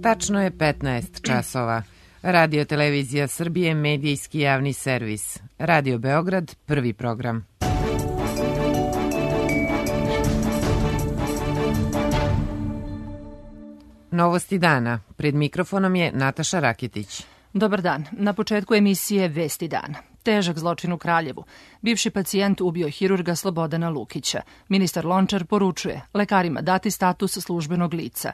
Tačno je 15 časova. Radio Televizija Srbije, medijski javni servis. Radio Beograd, prvi program. Novosti dana. Pred mikrofonom je Nataša Raketić. Dobar dan. Na početku emisije Vesti dana. Težak zločin u Kraljevu. Bivši pacijent ubio hirurga Slobodana Lukića. Ministar Lončar poručuje lekarima dati status službenog lica.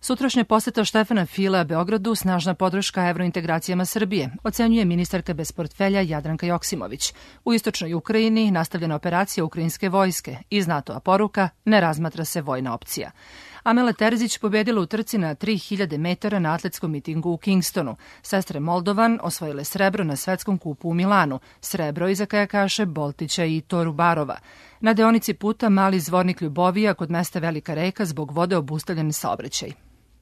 Sutrašnja poseta Štefana Filea Beogradu snažna podrška evrointegracijama Srbije, ocenjuje ministarka bez portfelja Jadranka Joksimović. U istočnoj Ukrajini nastavljena operacija ukrajinske vojske. Iz NATO-a poruka ne razmatra se vojna opcija. Amela Terzić pobedila u trci na 3000 metara na atletskom mitingu u Kingstonu. Sestre Moldovan osvojile srebro na svetskom kupu u Milanu, srebro iza kajakaše Boltića i Torubarova. Na deonici puta Mali Zvornik Ljubovija kod mesta Velika Reka zbog vode obustavljen saobraćaj.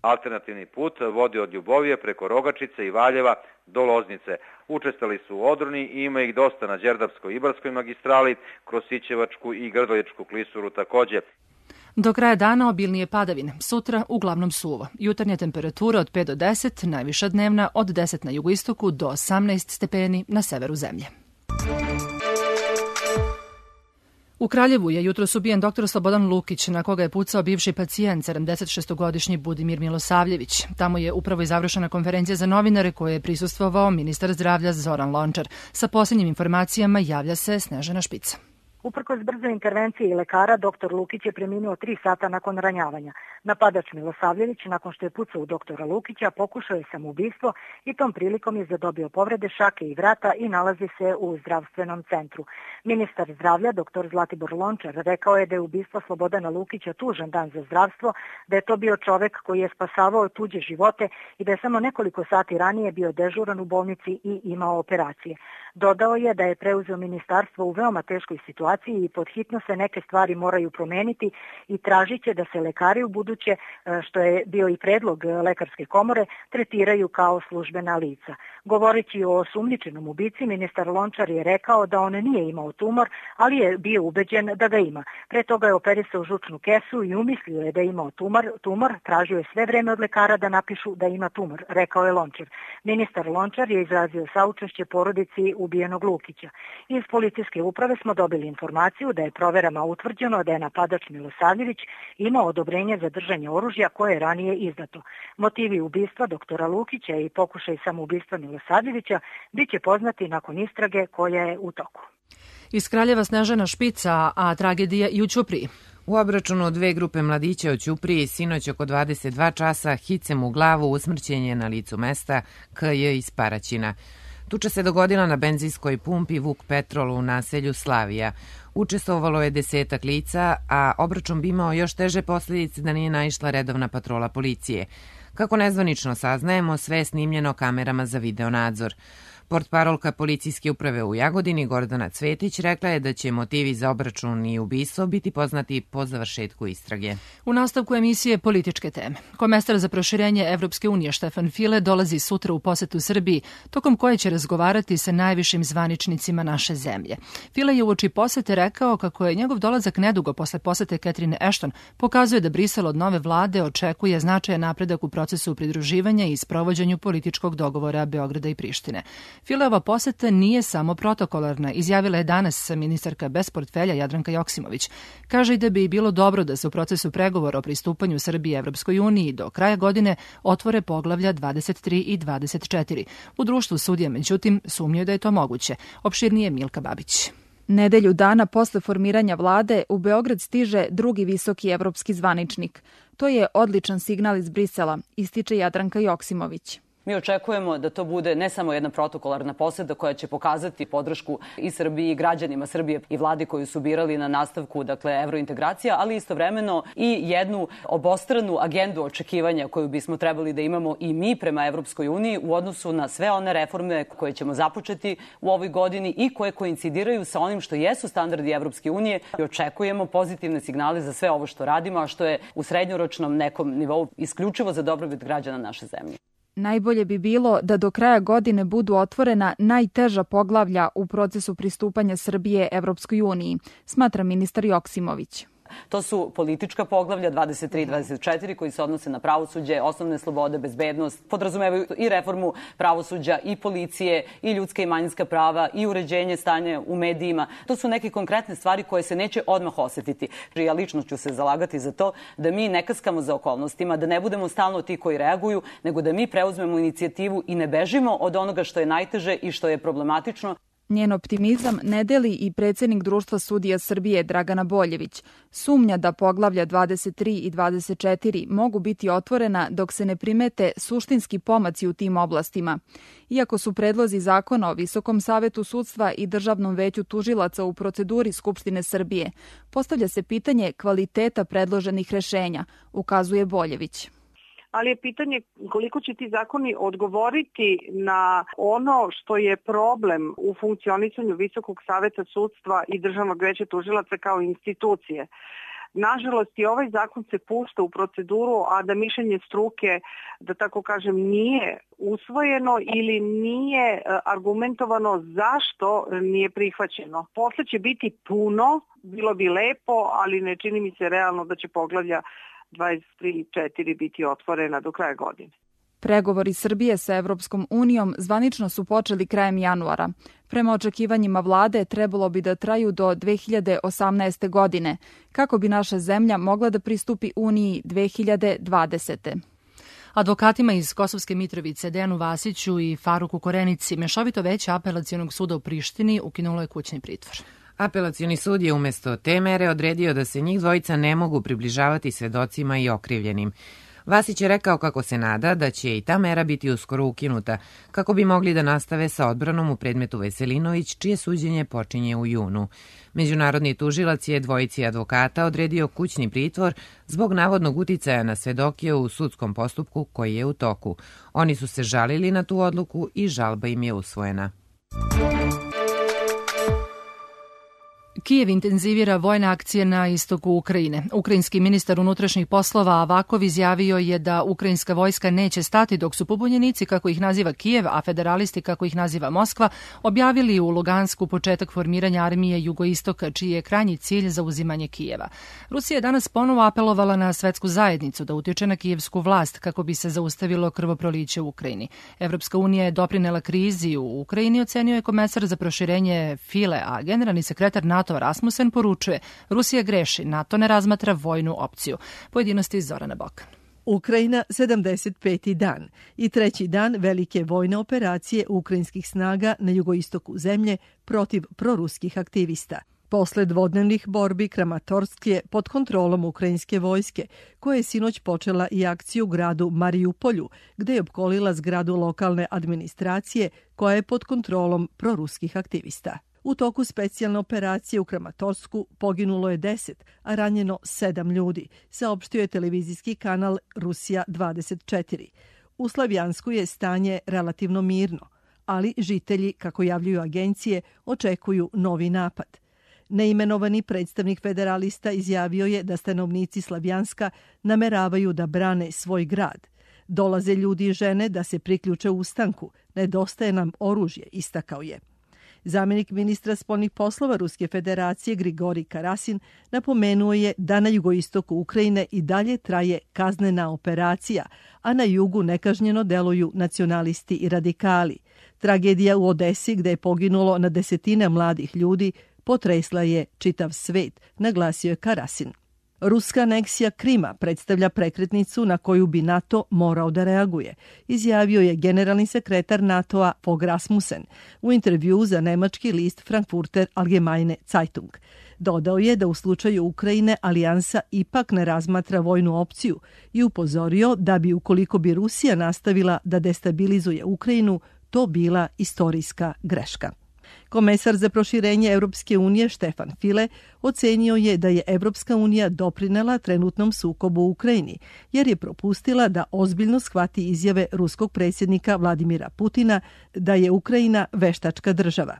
Alternativni put vodi od Ljubovije preko Rogačice i Valjeva do Loznice. Učestvali su u odroni i ima ih dosta na Đerdapskoj-Ibarskoj magistrali, kroz Sićevačku i Grdoljačku klisuru takođe. Do kraja dana obilnije padavine, sutra uglavnom suvo. Jutarnja temperatura od 5 do 10, najviša dnevna od 10 na jugoistoku do 18 stepeni na severu zemlje. U Kraljevu je jutros ubijen dr. Slobodan Lukić, na koga je pucao bivši pacijent, 76-godišnji Budimir Milosavljević. Tamo je upravo i završena konferencija za novinare koje je prisustvovao ministar zdravlja Zoran Lončar. Sa posljednjim informacijama javlja se Snežana Špica. Uprkos brzoj intervenciji lekara, dr. Lukić je preminuo 3 sata nakon ranjavanja. Napadač Milosavljević, nakon što je pucao u doktora Lukića, pokušao je samoubistvo i tom prilikom je zadobio povrede šake i vrata i nalazi se u zdravstvenom centru. Ministar zdravlja, dr. Zlatibor Lončar, rekao je da je ubistvo Slobodana Lukića tužan dan za zdravstvo, da je to bio čovek koji je spasavao tuđe živote i da je samo nekoliko sati ranije bio dežuran u bolnici i imao operacije. Dodao je da je preuzeo ministarstvo u veoma teškoj situaciji i pod hitno se neke stvari moraju promeniti i tražit će da se lekari u buduće, što je bio i predlog Lekarske komore, tretiraju kao službena lica. Govoreći o osumnjičenom ubici, ministar Lončar je rekao da on nije imao tumor, ali je bio ubeđen da ga ima. Pre toga je operisao žučnu kesu i umislio je da je imao tumor, tražio je sve vreme od lekara da napišu da ima tumor, rekao je Lončar. Ministar Lončar je izrazio saučešće porodici ubijenog Lukića. Iz policijske uprave smo dobili informaciju da je proverama utvrđeno da je napadač Milosavljević imao odobrenje za držanje oružja koje je ranije izdato. Motivi ubistva doktora Lukića i pokušaj samoubistva Milosavljevića bit će poznati nakon istrage koja je u toku. Iz Kraljeva Snežana Špica, a tragedija i u Ćupriji. U obračunu dve grupe mladića u Ćupriji sinoć oko 22 časa hicem u glavu usmrćen je na licu mesta KJ iz Paraćina. Tuča se dogodila na benzinskoj pumpi Vuk Petrol u naselju Slavija. Učestvovalo je 10 lica, a obračun bi imao još teže posljedice da nije naišla redovna patrola policije. Kako nezvanično saznajemo, sve je snimljeno kamerama za videonadzor. Portparolka policijske uprave u Jagodini Gordana Cvetić rekla je da će motivi za obračun i ubistvo biti poznati po završetku istrage. U nastavku emisije političke teme. Komesar za proširenje Evropske unije Štefan File dolazi sutra u posetu Srbiji, tokom koje će razgovarati sa najvišim zvaničnicima naše zemlje. File je uoči posete rekao kako je njegov dolazak nedugo posle posete Catherine Ashton pokazuje da Brisel od nove vlade očekuje značajan napredak u procesu pridruživanja i sprovođenju političkog dogovora Beograda i Prištine. Fileova poseta nije samo protokolarna, izjavila je danas ministarka bez portfelja Jadranka Joksimović. Kaže i da bi bilo dobro da se u procesu pregovora o pristupanju Srbije Evropskoj uniji do kraja godine otvore poglavlja 23 i 24. U društvu sudija, međutim, sumnjaju da je to moguće. Opširnije Milka Babić. Nedelju dana posle formiranja vlade u Beograd stiže drugi visoki evropski zvaničnik. To je odličan signal iz Brisela, ističe Jadranka Joksimović. Mi očekujemo da to bude ne samo jedna protokolarna poseta koja će pokazati podršku i Srbiji i građanima Srbije i vladi koju su birali na nastavku evrointegracija, ali istovremeno i jednu obostranu agendu očekivanja koju bismo trebali da imamo i mi prema Evropskoj uniji u odnosu na sve one reforme koje ćemo započeti u ovoj godini i koje koincidiraju sa onim što jesu standardi Evropske unije. I očekujemo pozitivne signale za sve ovo što radimo, a što je u srednjoročnom nekom nivou isključivo za dobrobit građana naše zemlje. Najbolje bi bilo da do kraja godine budu otvorena najteža poglavlja u procesu pristupanja Srbije Evropskoj uniji, smatra ministar Joksimović. To su politička poglavlja 23 i 24 koji se odnose na pravosuđe, osnovne slobode, bezbednost, podrazumevaju i reformu pravosuđa i policije i ljudska i manjinska prava i uređenje stanja u medijima. To su neke konkretne stvari koje se neće odmah osetiti. Ja lično ću se zalagati za to da mi ne kaskamo za okolnostima, da ne budemo stalno ti koji reaguju, nego da mi preuzmemo inicijativu i ne bežimo od onoga što je najteže i što je problematično. Njen optimizam ne deli i predsjednik Društva sudija Srbije Dragana Boljević. Sumnja da poglavlja 23 i 24 mogu biti otvorena dok se ne primete suštinski pomaci u tim oblastima. Iako su predlozi zakona o Visokom savetu sudstva i Državnom veću tužilaca u proceduri Skupštine Srbije, postavlja se pitanje kvaliteta predloženih rešenja, ukazuje Boljević. Ali je pitanje koliko će ti zakoni odgovoriti na ono što je problem u funkcionisanju Visokog saveta sudstva i Državnog veća tužilaca kao institucije. Nažalost, i ovaj zakon se pušta u proceduru, a da mišljenje struke, da tako kažem, nije usvojeno ili nije argumentovano zašto nije prihvaćeno. Posle će biti puno, bilo bi lepo, ali ne čini mi se realno da će poglavlja 23 i 4 biti otvorena do kraja godine. Pregovori Srbije sa Evropskom unijom zvanično su počeli krajem januara. Prema očekivanjima vlade trebalo bi da traju do 2018. godine, kako bi naša zemlja mogla da pristupi Uniji 2020. Advokatima iz Kosovske Mitrovice, Dejanu Vasiću i Faruku Korenici, Mešovito veće Apelacionog suda u Prištini ukinulo je kućni pritvor. Apelacioni sud je umjesto te mere odredio da se njih dvojica ne mogu približavati svedocima i okrivljenim. Vasić je rekao kako se nada da će i ta mera biti uskoro ukinuta, kako bi mogli da nastave sa odbranom u predmetu Veselinović, čije suđenje počinje u junu. Međunarodni tužilac je dvojici advokata odredio kućni pritvor zbog navodnog uticaja na svedoke u sudskom postupku koji je u toku. Oni su se žalili na tu odluku i žalba im je usvojena. Kijev intenzivira vojne akcije na istoku Ukrajine. Ukrajinski ministar unutrašnjih poslova Avakov izjavio je da ukrajinska vojska neće stati dok su pobunjenici, kako ih naziva Kijev, a federalisti, kako ih naziva Moskva, objavili u Lugansku početak formiranja armije jugoistoka, čiji je krajnji cilj zauzimanje Kijeva. Rusija je danas ponovo apelovala na svetsku zajednicu da utječe na kijevsku vlast kako bi se zaustavilo krvoproliće u Ukrajini. Evropska unija je doprinela krizi u Ukrajini, ocenio je komesar za proširenje File, a generalni sekretar NATO Rasmussen poručuje: Rusija greši, NATO ne razmatra vojnu opciju. Pojedinosti iz Zorana Bokan. Ukrajina 75. dan i treći dan velike vojne operacije ukrajinskih snaga na jugoistoku zemlje protiv proruskih aktivista. Posle dvodnevnih borbi Kramatorsk je pod kontrolom ukrajinske vojske, koja je sinoć počela i akciju u gradu Mariupolju, gde je opkolila zgradu lokalne administracije koja je pod kontrolom proruskih aktivista. U toku specijalne operacije u Kramatorsku poginulo je 10, a ranjeno 7 ljudi, saopštio je televizijski kanal Rusija 24. U Slavjansku je stanje relativno mirno, ali žitelji, kako javljuju agencije, očekuju novi napad. Neimenovani predstavnik federalista izjavio je da stanovnici Slavjanska nameravaju da brane svoj grad. Dolaze ljudi i žene da se priključe ustanku, nedostaje nam oružje, istakao je. Zamjenik ministra spoljnih poslova Ruske federacije Grigorij Karasin napomenuo je da na jugoistoku Ukrajine i dalje traje kaznena operacija, a na jugu nekažnjeno deluju nacionalisti i radikali. Tragedija u Odesi, gde je poginulo na desetine mladih ljudi, potresla je čitav svet, naglasio je Karasin. Ruska aneksija Krima predstavlja prekretnicu na koju bi NATO morao da reaguje, izjavio je generalni sekretar NATO-a Fogh Rasmussen u intervjuu za nemački list Frankfurter Allgemeine Zeitung. Dodao je da u slučaju Ukrajine alijansa ipak ne razmatra vojnu opciju i upozorio da bi, ukoliko bi Rusija nastavila da destabilizuje Ukrajinu, to bila istorijska greška. Komesar za proširenje Europske unije Štefan File ocenio je da je Europska unija doprinela trenutnom sukobu u Ukrajini, jer je propustila da ozbiljno shvati izjave ruskog predsjednika Vladimira Putina da je Ukrajina veštačka država.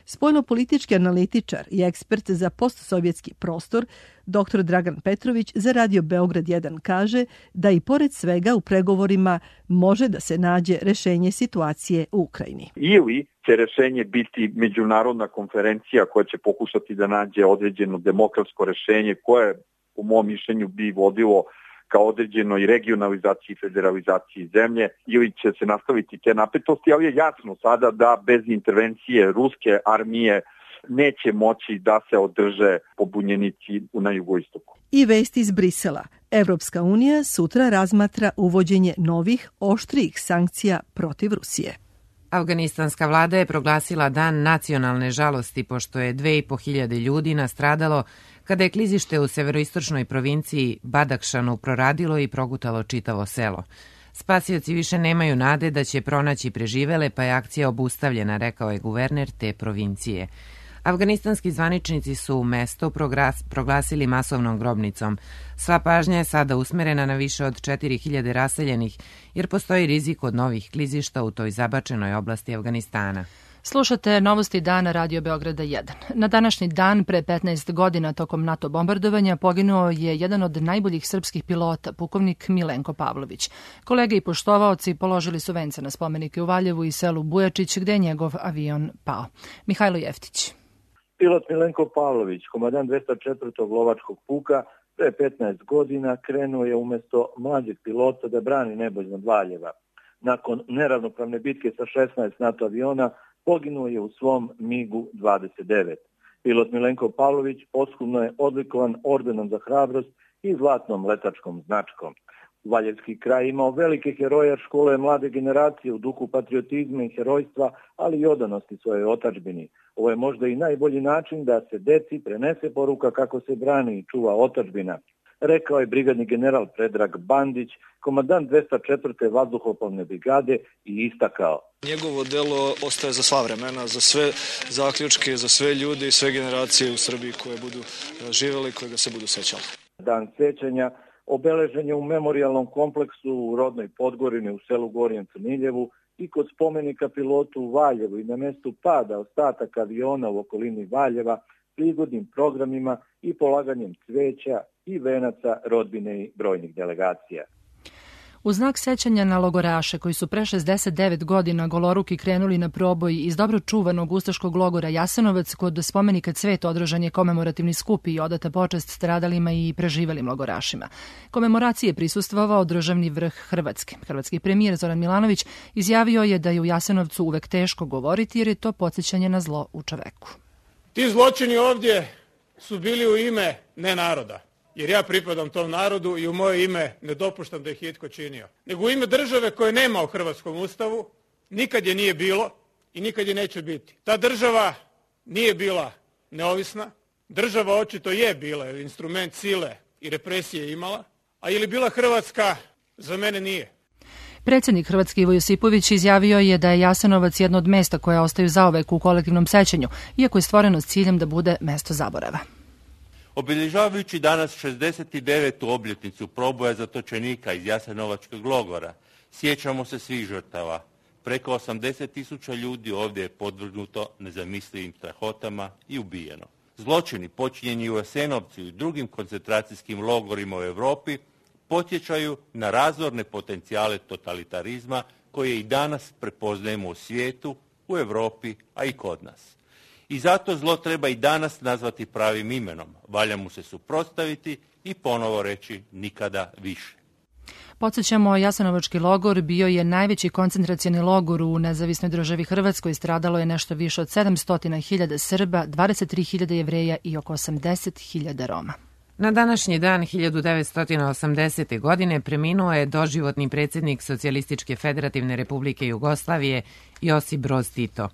Spoljnopolitički analitičar i ekspert za postsovjetski prostor, dr. Dragan Petrović za Radio Beograd 1 kaže da i pored svega u pregovorima može da se nađe rešenje situacije u Ukrajini. Ili će rešenje biti međunarodna konferencija koja će pokušati da nađe određeno demokratsko rešenje koje po mom mišljenju bi vodilo ka određenoj regionalizaciji i federalizaciji zemlje ili će se nastaviti te napetosti, ali je jasno sada da bez intervencije ruske armije neće moći da se održe pobunjenici na jugoistoku. I vest iz Brisela. Evropska unija sutra razmatra uvođenje novih, oštrijih sankcija protiv Rusije. Afganistanska vlada je proglasila dan nacionalne žalosti pošto je 2500 ljudi nastradalo kada je klizište u severoistočnoj provinciji Badakšanu proradilo i progutalo čitavo selo. Spasioci više nemaju nade da će pronaći preživele, pa je akcija obustavljena, rekao je guverner te provincije. Afganistanski zvaničnici su mesto proglasili masovnom grobnicom. Sva pažnja je sada usmerena na više od 4000 raseljenih, jer postoji rizik od novih klizišta u toj zabačenoj oblasti Afganistana. Slušate Novosti dana Radio Beograda 1. Na današnji dan, pre 15 godina tokom NATO bombardovanja, poginuo je jedan od najboljih srpskih pilota, pukovnik Milenko Pavlović. Kolege i poštovaoci položili su vence na spomenike u Valjevu i selu Bujačić, gde je njegov avion pao. Mihajlo Jeftić. Pilot Milenko Pavlović, komandant 204. lovačkog puka, pre 15 godina krenuo je umjesto mlađeg pilota da brani nebo iznad Valjeva. Nakon neravnopravne bitke sa 16 NATO aviona, poginuo je u svom MiG-u 29. Pilot Milenko Pavlović posthumno je odlikovan ordenom za hrabrost i zlatnom letačkom značkom. Valjevski kraj imao velike heroje, škole mlade generacije u duhu patriotizma i herojstva, ali i odanosti svojoj otadžbini. Ovo je možda i najbolji način da se deci prenese poruka kako se brani i čuva otadžbina, rekao je brigadni general Predrag Bandić, komandant 204. vazduhoplovne brigade, i istakao: Njegovo delo ostaje za sva vremena, za sve zaključke, za sve ljude i sve generacije u Srbiji koje budu živjeli i koje ga se budu sećali. Dan sećanja obeležen je u memorijalnom kompleksu u rodnoj Podgorini u selu Gornjem Crniljevu i kod spomenika pilotu u Valjevu i na mestu pada ostataka aviona u okolini Valjeva, prigodnim programima i polaganjem cveća i venaca rodbine i brojnih delegacija. U znak sećanja na logoraše koji su pre 69 godina goloruki krenuli na proboj iz dobro čuvanog ustaškog logora Jasenovac, kod spomenika Cvet održan je komemorativni skup i odata počast stradalima i preživelim logorašima. Komemoracije prisustvovao državni vrh Hrvatske. Hrvatski premijer Zoran Milanović izjavio je da je u Jasenovcu uvek teško govoriti jer je to podsjećanje na zlo u čoveku. Ti zločini ovdje su bili u ime ne naroda, jer ja pripadam tom narodu i u moje ime ne dopuštam da ih je itko činio, nego u ime države koje nema u hrvatskom ustavu, nikad je nije bilo i nikad je neće biti. Ta država nije bila neovisna, država očito je bila, jer instrument sile i represije imala, a je li bila Hrvatska? Za mene nije. Predsjednik Hrvatske Ivo Josipović izjavio je da je Jasenovac jedno od mesta koja ostaju zauvek u kolektivnom sećanju, iako je stvoreno s ciljem da bude mesto zaborava. Obilježavajući danas 69. obljetnicu proboja zatočenika iz Jasenovačkog logora, sjećamo se svih žrtava. Preko 80.000 ljudi ovdje je podvrgnuto nezamislivim strahotama i ubijeno. Zločini počinjeni u Jasenovcu i drugim koncentracijskim logorima u Europi podsjećaju na razorne potencijale totalitarizma koje i danas prepoznajemo u svijetu, u Europi, a i kod nas. I zato zlo treba i danas nazvati pravim imenom. Valja mu se suprotstaviti i ponovo reći nikada više. Podsjećamo, Jasenovački logor bio je najveći koncentracioni logor u nezavisnoj državi Hrvatskoj. Stradalo je nešto više od 700.000 Srba, 23.000 Jevreja i oko 80.000 Roma. Na današnji dan 1980. godine preminuo je doživotni predsjednik Socijalističke federativne republike Jugoslavije Josip Broz Tito.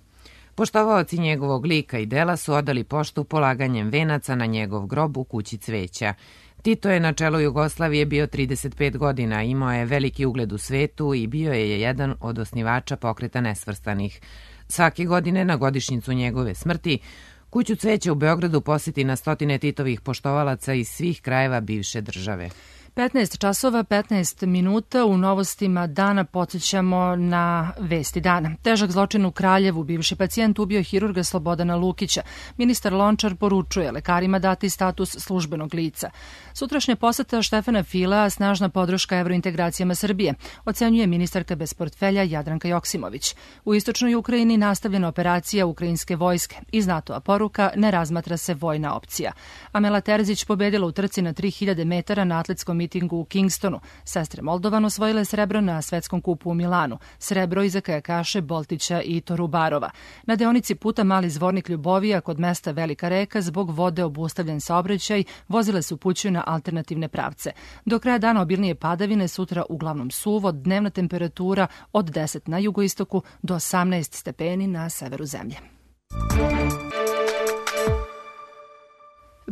Poštovaoci njegovog lika i dela su odali poštu polaganjem venaca na njegov grob u kući cveća. Tito je na čelu Jugoslavije bio 35 godina, imao je veliki ugled u svetu i bio je jedan od osnivača Pokreta nesvrstanih. Svake godine na godišnjicu njegove smrti kuću cveća u Beogradu posjeti na stotine Titovih poštovalaca iz svih krajeva bivše države. 15 časova, 15 minuta. U novostima dana podsjećamo na vesti dana. Težak zločin u Kraljevu. Bivši pacijent ubio hirurga Slobodana Lukića. Ministar Lončar poručuje lekarima dati status službenog lica. Sutrašnja poseta Štefana Filea, snažna podrška evrointegracijama Srbije, ocenjuje ministarka bez portfelja Jadranka Joksimović. U istočnoj Ukrajini nastavljena operacija ukrajinske vojske. Iz NATO-a poruka, ne razmatra se vojna opcija. Amela Terzić pobedila u trci na 3000 metara na atletskom mitingu u Kingstonu. Sestre Moldovan osvojile srebro na svetskom kupu u Milanu. Srebro iza kajakaše Boltića i Torubarova. Na deonici puta Mali Zvornik Ljubovija kod mesta Velika Reka zbog vode obustavljen saobraćaj, vozile se upućuju na alternativne pravce. Do kraja dana obilnije padavine, sutra uglavnom suvo, dnevna temperatura od 10 na jugoistoku do 18 stepeni na severu zemlje.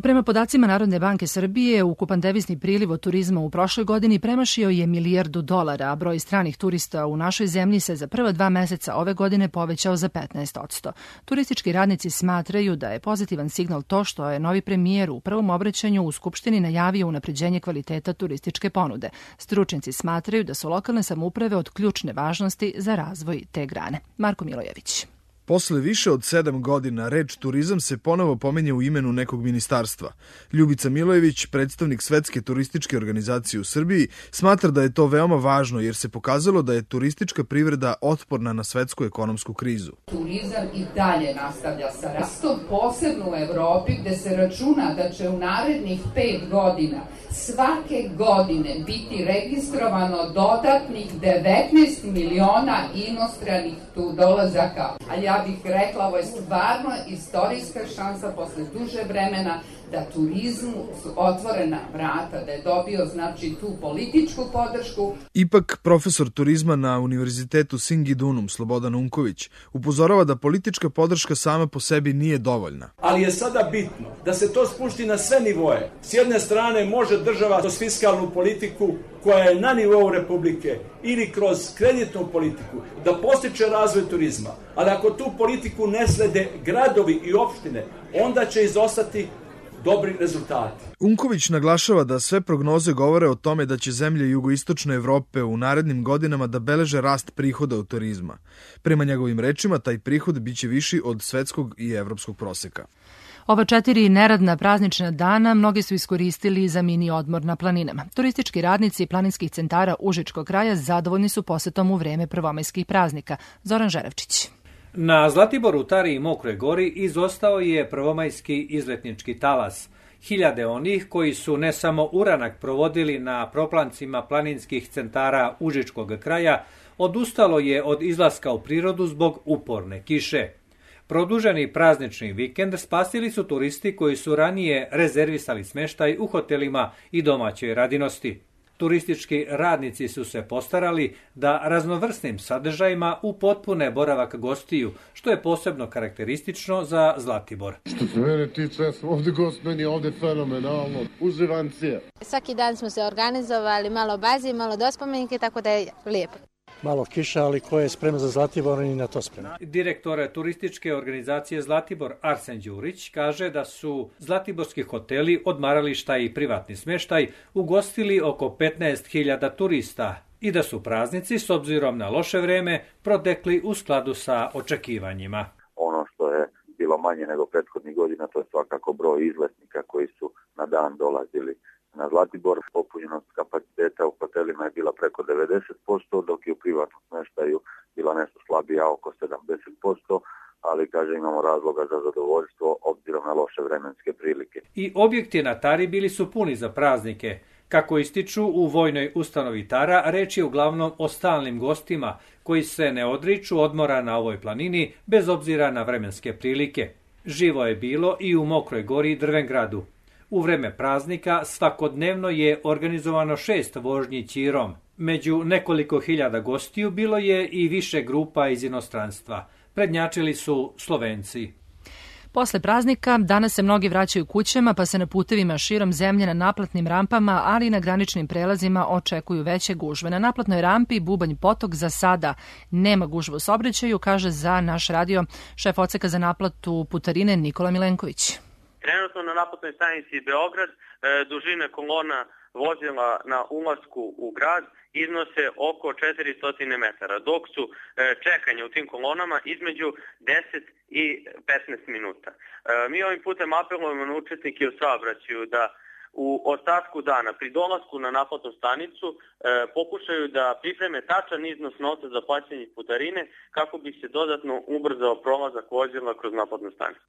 Prema podacima Narodne banke Srbije, ukupan devizni priliv od turizma u prošloj godini premašio je $1 milijardu, a broj stranih turista u našoj zemlji se za prva 2 meseca ove godine povećao za 15%. Turistički radnici smatraju da je pozitivan signal to što je novi premijer u prvom obraćanju u Skupštini najavio unapređenje kvaliteta turističke ponude. Stručnjaci smatraju da su lokalne samouprave od ključne važnosti za razvoj te grane. Marko Milojević. Posle više od 7 godina reč turizam se ponovo pominje u imenu nekog ministarstva. Ljubica Milojević, predstavnik Svetske turističke organizacije u Srbiji, smatra da je to veoma važno jer se pokazalo da je turistička privreda otporna na svetsku ekonomsku krizu. Turizam i dalje nastavlja sa rastom, posebno u Evropi gde se računa da će u narednih 5 godina svake godine biti registrovano dodatnih 19 miliona inostranih dolazaka. A ja bih rekla, ovo je stvarno istorijska šansa posle duže vremena da turizmu su otvorena vrata, da je dobio znači tu političku podršku. Ipak, profesor turizma na Univerzitetu Singidunum Slobodan Unković upozorava da politička podrška sama po sebi nije dovoljna. Ali je sada bitno da se to spušti na sve nivoe. S jedne strane može država kroz fiskalnu politiku koja je na nivou Republike ili kroz kreditnu politiku da postiče razvoj turizma. Ali ako tu politiku ne slede gradovi i opštine, onda će izostati dobri rezultati. Unković naglašava da sve prognoze govore o tome da će zemlje jugoistočne Evrope u narednim godinama da beleže rast prihoda od turizma. Prema njegovim rečima, taj prihod biće viši od svetskog i evropskog proseka. Ova 4 neradna praznična dana mnogi su iskoristili za mini odmor na planinama. Turistički radnici planinskih centara Užičkog kraja zadovoljni su posetom u vreme prvomajskih praznika. Zoran Žerevčić. Na Zlatiboru, Tari i Mokroj Gori izostao je prvomajski izletnički talas. Hiljade onih koji su ne samo uranak provodili na proplancima planinskih centara Užičkog kraja, odustalo je od izlaska u prirodu zbog uporne kiše. Produženi praznični vikend spasili su turisti koji su ranije rezervisali smeštaj u hotelima i domaćoj radinosti. Turistički radnici su se postarali da raznovrsnim sadržajima upotpune boravak gostiju, što je posebno karakteristično za Zlatibor. Što se mene tiče, ovdje gost meni je ovdje fenomenalno, uživancije. Svaki dan smo se organizovali, malo bazi, malo dospomenike, tako da je lijepo. Malo kiša, ali ko je spreman za Zlatibor i na to spreman. Direktor turističke organizacije Zlatibor Arsen Đurić kaže da su zlatiborski hoteli, odmarališta i privatni smeštaj ugostili oko 15.000 turista i da su praznici s obzirom na loše vreme protekli u skladu sa očekivanjima. Ono što je bilo manje nego prethodnih godina, to je svakako broj izletnika koji su na dan dolazili na Zlatibor. Popunjenost kapaciteta u hotelima je bila preko 90%, dok je u privatnom smeštaju bila nešto slabija, oko 70%, ali kaže imamo razloga za zadovoljstvo obzirom na loše vremenske prilike. I objekti na Tari bili su puni za praznike. Kako ističu u vojnoj ustanovi Tara, reč je uglavnom o stalnim gostima koji se ne odriču odmora na ovoj planini bez obzira na vremenske prilike. Živo je bilo i u Mokroj Gori i Drvengradu. U vreme praznika svakodnevno je organizovano 6 vožnji ćirom. Među nekoliko hiljada gostiju bilo je i više grupa iz inostranstva. Prednjačili su Slovenci. Posle praznika danas se mnogi vraćaju kućama, pa se na putevima širom zemlje na naplatnim rampama, ali i na graničnim prelazima očekuju veće gužve. Na naplatnoj rampi Bubanj Potok za sada nema gužve u saobraćaju, kaže za naš radio šef odseka za naplatu putarine Nikola Milenković. Trenutno na naplatnoj stanici Beograd dužine kolona vozila na ulasku u grad iznose oko 400 metara, dok su čekanje u tim kolonama između 10 i 15 minuta. Mi ovim putem apelujemo na učesnike u saobraćaju da u ostatku dana pri dolasku na naplatnu stanicu pokušaju da pripreme tačan iznos novca za plaćanje putarine kako bi se dodatno ubrzao prolazak vozila kroz naplatnu stanicu.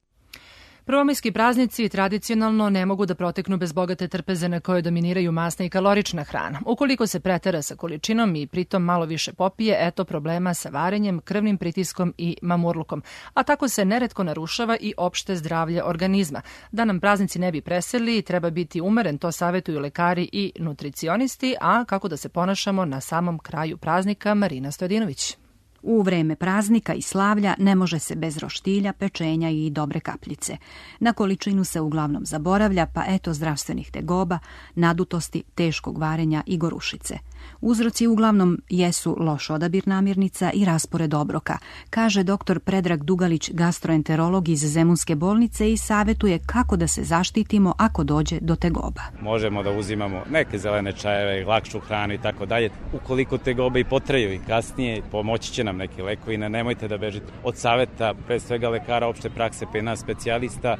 Prvomajski praznici tradicionalno ne mogu da proteknu bez bogate trpeze na kojoj dominiraju masna i kalorična hrana. Ukoliko se pretera sa količinom i pritom malo više popije, eto problema sa varenjem, krvnim pritiskom i mamurlukom. A tako se neretko narušava i opšte zdravlje organizma. Da nam praznici ne bi preseli, treba biti umeren, to savjetuju lekari i nutricionisti, a kako da se ponašamo na samom kraju praznika, Marina Stojadinović. U vreme praznika i slavlja ne može se bez roštilja, pečenja i dobre kapljice. Na količinu se uglavnom zaboravlja, pa eto zdravstvenih tegoba, nadutosti, teškog varenja i gorušice. Uzroci uglavnom jesu loš odabir namirnica i raspored obroka, kaže dr. Predrag Dugalić, gastroenterolog iz Zemunske bolnice i savjetuje kako da se zaštitimo ako dođe do tegoba. Možemo da uzimamo neke zelene čajeve, lakšu hranu i tako dalje. Ukoliko tegobe i potraju i kasnije, pomoći će nam neki lekovi, nemojte da bežite od savjeta, pre svega lekara opšte prakse, pa i nas specijalista,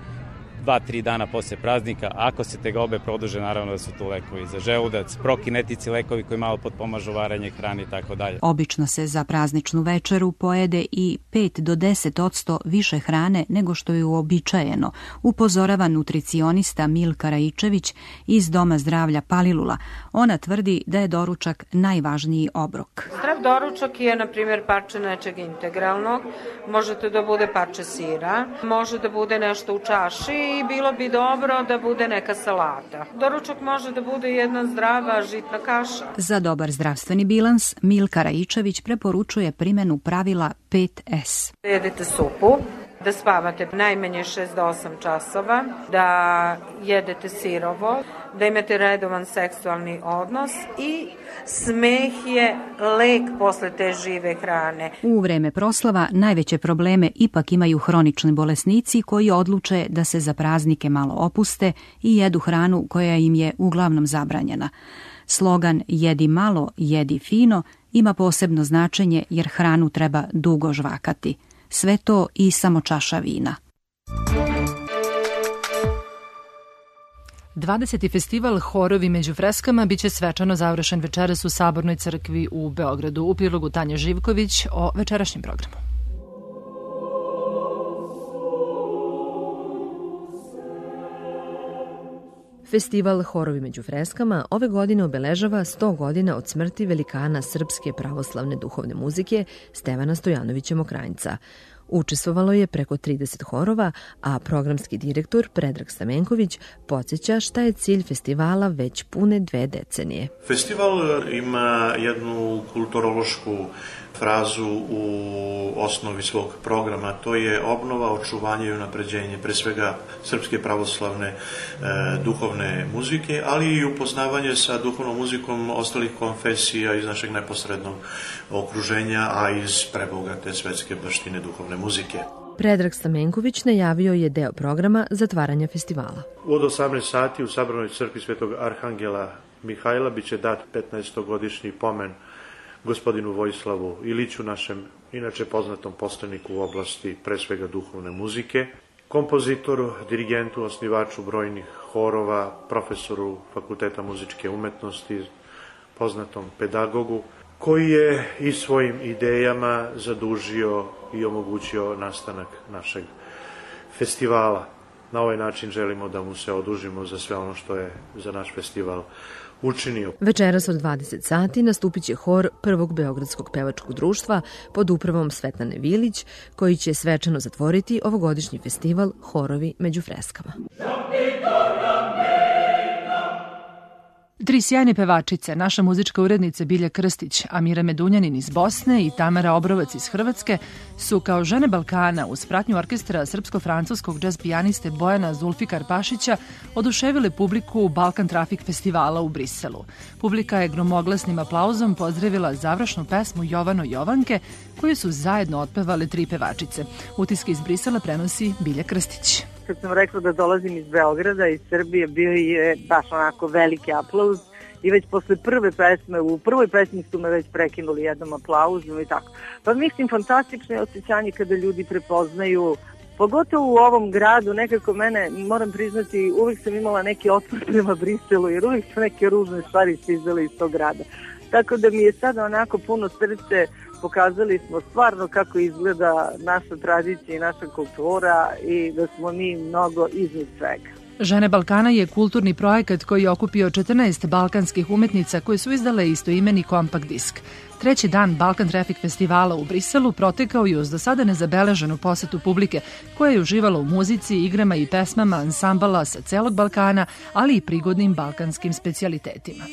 2-3 dana posle praznika. Ako se tegobe produže, naravno da su tu lekovi za želudac, prokinetici lekovi koji malo potpomažu varanje hrane i tako dalje. Obično se za prazničnu večeru pojede i 5 do 10% više hrane nego što je uobičajeno, upozorava nutricionista Milka Raičević iz Doma zdravlja Palilula. Ona tvrdi da je doručak najvažniji obrok. Zdrav doručak je, na primjer, parče nečeg integralnog, možete da bude parče sira, može da bude nešto u čaši, i bilo bi dobro da bude neka salata. Doručak može da bude jedna zdrava žitna kaša. Za dobar zdravstveni bilans, Milka Raičević preporučuje primjenu pravila 5S. Jedete supu, da spavate najmanje 6 do 8 časova, da jedete sirovo, da imate redovan seksualni odnos i smeh je lek posle te žive hrane. U vreme proslava najveće probleme ipak imaju hronični bolesnici koji odluče da se za praznike malo opuste i jedu hranu koja im je uglavnom zabranjena. Slogan "Jedi malo, jedi fino" ima posebno značenje jer hranu treba dugo žvakati. Sve to i samo čaša vina. 20. festival Horovi među freskama biće svečano završen večeras u Sabornoj crkvi u Beogradu. U prilogu Tanja Živković o večerašnjem programu. Festival Horovi među freskama ove godine obeležava 100 godina od smrti velikana srpske pravoslavne duhovne muzike Stevana Stojanovića Mokranjca. Učestvovalo je preko 30 horova, a programski direktor Predrag Stamenković podsjeća šta je cilj festivala već pune 2 decenije. Festival ima jednu kulturološku frazu u osnovi svog programa, to je obnova, očuvanje i unapređenje pre svega srpske pravoslavne duhovne muzike, ali i upoznavanje sa duhovnom muzikom ostalih konfesija iz našeg neposrednog okruženja, a iz prebogate svetske baštine duhovne muzike. Predrag Stamenković najavio je deo programa zatvaranja festivala. Od 18 sati u Sabornoj crkvi Svetog Arhangela Mihajla biće dat 15-godišnji pomen gospodinu Vojislavu Iliću, našem inače poznatom poslaniku u oblasti pre svega duhovne muzike, kompozitoru, dirigentu, osnivaču brojnih horova, profesoru Fakulteta muzičke umetnosti, poznatom pedagogu, koji je i svojim idejama zadužio i omogućio nastanak našeg festivala. Na ovaj način želimo da mu se odužimo za sve ono što je za naš festival učinio. Večeras od 20 sati nastupit će hor Prvog beogradskog pevačkog društva pod upravom Svetlane Vilić, koji će svečano zatvoriti ovogodišnji festival Horovi među freskama. 3 sjajne pevačice, naša muzička urednica Bilja Krstić, Amira Medunjanin iz Bosne i Tamara Obrovac iz Hrvatske, su kao žene Balkana uz pratnju orkestra srpsko-francuskog džez pijaniste Bojana Zulfikar Pašića oduševile publiku Balkan Trafik festivala u Briselu. Publika je gromoglasnim aplauzom pozdravila završnu pesmu Jovano Jovanke, koju su zajedno otpevale 3 pevačice. Utiske iz Brisela prenosi Bilja Krstić. kad sam rekla da dolazim iz Beograda, iz Srbije, bio je baš onako veliki aplauz i već posle prve pesme, u prvoj pesmi su me već prekinuli jednom aplauzom i tako. Pa mislim, fantastično je osjećanje kada ljudi prepoznaju, pogotovo u ovom gradu, nekako mene, moram priznati, uvijek sam imala neki otpor prema Briselu, jer uvijek su neke ružne stvari stizale iz tog grada. Tako da mi je sada onako puno srce, pokazali smo stvarno kako izgleda naša tradicija i naša kultura i da smo mi mnogo iznad svega. Žene Balkana je kulturni projekat koji je okupio 14 balkanskih umetnica koje su izdale istoimeni kompakt disk. Treći dan Balkan Traffic festivala u Briselu protekao je uz do sada nezabeleženu posetu publike koja je uživala u muzici, igrama i pesmama ansambala sa celog Balkana, ali i prigodnim balkanskim specijalitetima.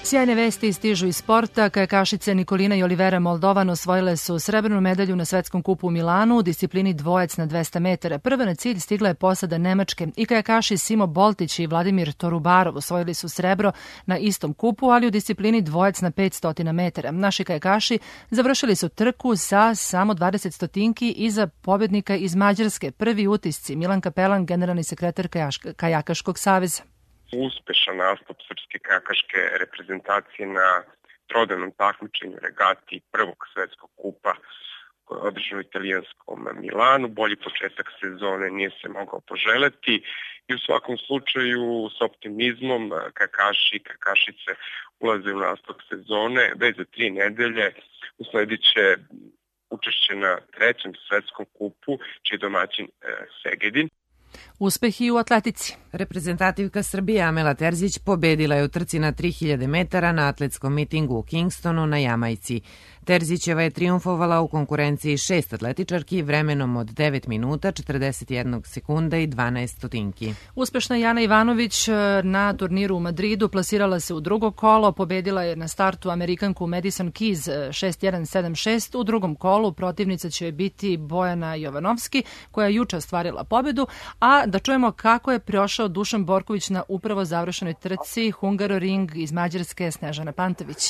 Sjajne vesti stižu iz sporta. Kajakašice Nikolina i Olivera Moldovan osvojile su srebrnu medalju na svetskom kupu u Milanu u disciplini dvojac na 200 metara. Prva na cilj stigla je posada Nemačke i kajakaši Simo Boltić i Vladimir Torubarov osvojili su srebro na istom kupu, ali u disciplini dvojac na 500 metara. Naši kajakaši završili su trku sa samo 20 stotinki iza pobednika iz Mađarske. Prvi utisci Milan Kapelan, generalni sekretar Kajakaškog saveza. Uspešan nastup srpske kajakaške reprezentacije na trodanom takmičenju regati prvog svetskog kupa koje je održano u italijanskom Milanu. Bolji početak sezone nije se mogao poželjeti i u svakom slučaju s optimizmom kajakaši i kajakašice ulaze u nastavak sezone. Već za 3 nedelje usledit će učešće na trećem svetskom kupu, čiji je domaćin Segedin. Uspeh i u atletici. Reprezentativka Srbije Amela Terzić pobedila je u trci na 3000 metara na atletskom mitingu u Kingstonu na Jamajci. Terzićeva je triumfovala u konkurenciji 6 atletičarki vremenom od 9 minuta, 41 sekunda i 12 stotinki. Uspešna Jana Ivanović na turniru u Madridu plasirala se u drugo kolo, pobedila je na startu Amerikanku Madison Keys 6-1-7-6. U drugom kolu protivnica će biti Bojana Jovanovski, koja je juče ostvarila pobedu, a da čujemo kako je prošao Dušan Borković na upravo završenoj trci Hungaroring iz Mađarske Snežana Pantović.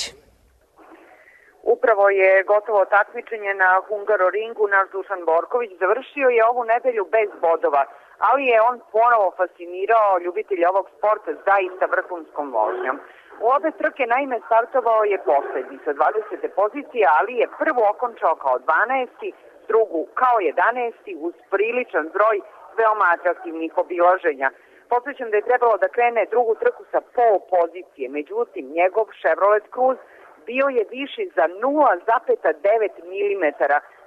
Upravo je gotovo takmičenje na Hungaroringu. Naš Dušan Borković završio je ovu nedelju bez bodova, ali je on ponovo fascinirao ljubitelja ovog sporta zaista vrhunskom vožnjom. U obe trke naime startovao je poslednji sa 20. pozicije, ali je prvu okončao kao 12. drugu kao 11. uz priličan broj veoma atraktivnih obilaženja. Podsjećam da je trebalo da krene drugu trku sa pol pozicije, međutim njegov Chevrolet Cruze bio je viši za 0,9 mm,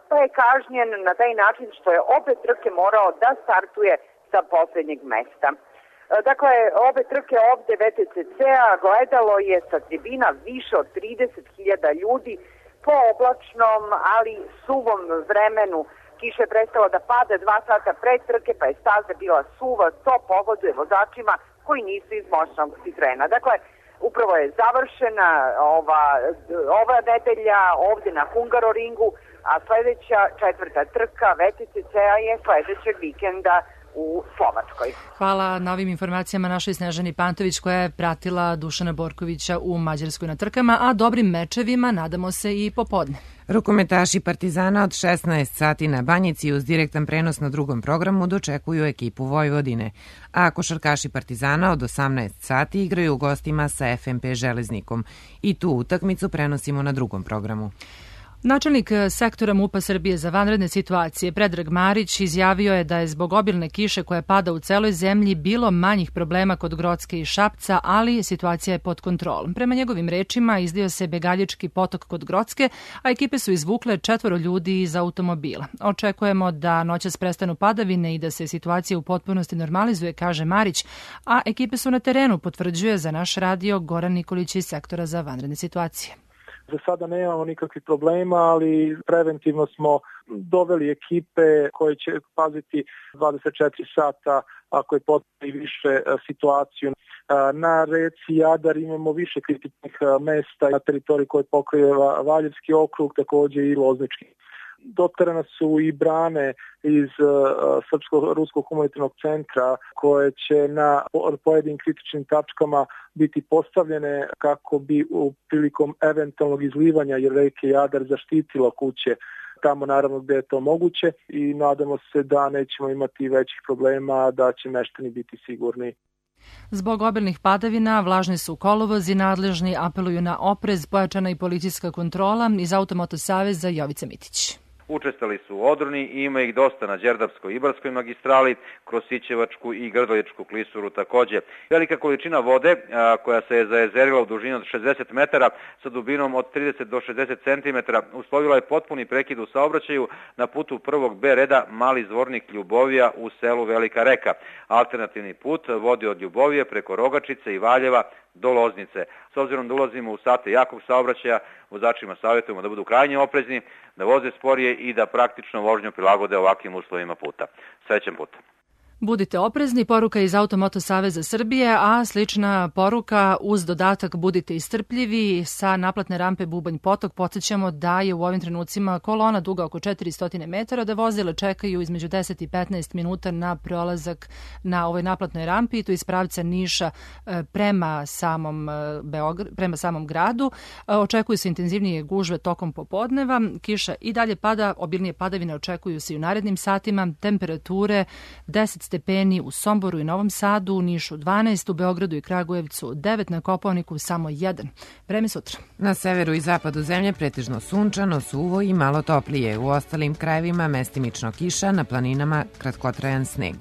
pa je kažnjen na taj način što je obe trke morao da startuje sa posljednjeg mesta. Dakle, obe trke ovde VTCC-a gledalo je sa tribina više od 30.000 ljudi po oblačnom, ali suvom vremenu. Kiša je prestala da pada 2 sata pred trke, pa je staza bila suva, to pogoduje vozačima koji nisu iz moćnog Citroena. Dakle, upravo je završena ova nedelja ovde na Hungaroringu, a sledeća 4. trka VTCC-a je sledećeg vikenda u Slovačkoj. Hvala na ovim informacijama našoj Snežani Pantović koja je pratila Dušana Borkovića u Mađarskoj na trkama, a dobrim mečevima nadamo se i popodne. Rukometaši Partizana od 16 sati na Banjici uz direktan prenos na drugom programu dočekuju ekipu Vojvodine, a košarkaši Partizana od 18 sati igraju u gostima sa FNP Železnikom i tu utakmicu prenosimo na drugom programu. Načelnik sektora MUP-a Srbije za vanredne situacije Predrag Marić izjavio je da je zbog obilne kiše koja pada u celoj zemlji bilo manjih problema kod Grocke i Šapca, ali situacija je pod kontrolom. Prema njegovim rečima izlio se Begaljički potok kod Grocke, a ekipe su izvukle 4 ljudi iz automobila. Očekujemo da noćas prestanu padavine i da se situacija u potpunosti normalizuje, kaže Marić, a ekipe su na terenu, potvrđuje za naš radio Goran Nikolić iz sektora za vanredne situacije. Za sada nemamo nikakvih problema, ali preventivno smo doveli ekipe koje će paziti 24 sata ako je potrebno i više situaciju. Na reci Jadar imamo više kritičnih mesta na teritoriji koje pokriva Valjevski okrug, također i Loznički. doterane su i brane iz Srpsko-ruskog humanitarnog centra koje će na pojedinim kritičnim tačkama biti postavljene kako bi prilikom eventualnog izlivanja reke Jadar zaštitilo kuće tamo naravno gde je to moguće i nadamo se da nećemo imati većih problema, da će meštani biti sigurni. Zbog obilnih padavina vlažni su kolovozi, nadležni apeluju na oprez, pojačana i policijska kontrola. Iz Automoto saveza Jovica Mitić. Učestali su u odroni i ima ih dosta na Đerdapskoj i Ibarskoj magistrali, kroz Sićevačku i Grdoljičku klisuru takođe. Velika količina vode koja se je zajezerila u dužini od 60 metara sa dubinom od 30 do 60 cm uslovila je potpuni prekid u saobraćaju na putu prvog B reda Mali Zvornik Ljubovija u selu Velika Reka. Alternativni put vodi od Ljubovije preko Rogačice i Valjeva do Loznice. S obzirom da ulazimo u sate jakog saobraćaja, vozačima savjetujemo da budu krajnje oprezni, da voze sporije i da praktično vožnju prilagode ovakvim uslovima puta. Srećan put! Budite oprezni, poruka iz Automoto saveza Srbije, a slična poruka uz dodatak budite istrpljivi sa naplatne rampe Bubanj Potok. Podsjećamo da je u ovim trenucima kolona duga oko 400 metara, da vozile čekaju između 10 i 15 minuta na prolazak na ovoj naplatnoj rampi i to iz pravca Niša prema samom gradu. Očekuju se intenzivnije gužve tokom popodneva. Kiša i dalje pada, obilnije padavine očekuju se i u narednim satima. Temperature 10 stepeni u Somboru i Novom Sadu, u Nišu 12, u Beogradu i Kragujevcu 9, na Kopaoniku samo 1. Vreme sutra. Na severu i zapadu zemlje pretežno sunčano, suvo i malo toplije. U ostalim krajevima mestimično kiša, na planinama kratkotrajan sneg.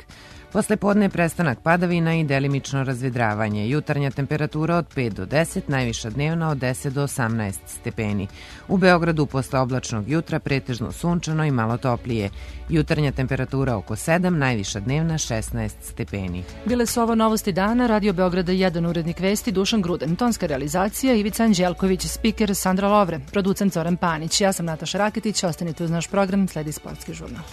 Posle podne prestanak padavina i delimično razvedravanje. Jutarnja temperatura od 5 do 10, najviša dnevna od 10 do 18 stepeni. U Beogradu posle oblačnog jutra pretežno sunčano i malo toplije. Jutarnja temperatura oko 7, najviša dnevna 16 stepeni. Bile su ovo novosti dana, Radio Beograda 1, urednik vesti Dušan Gruden, tonska realizacija Ivica Anđelković, spiker Sandra Lovre, producent Zoran Panić. Ja sam Nataša Raketić, ostanite uz naš program, sledi sportski žurnal.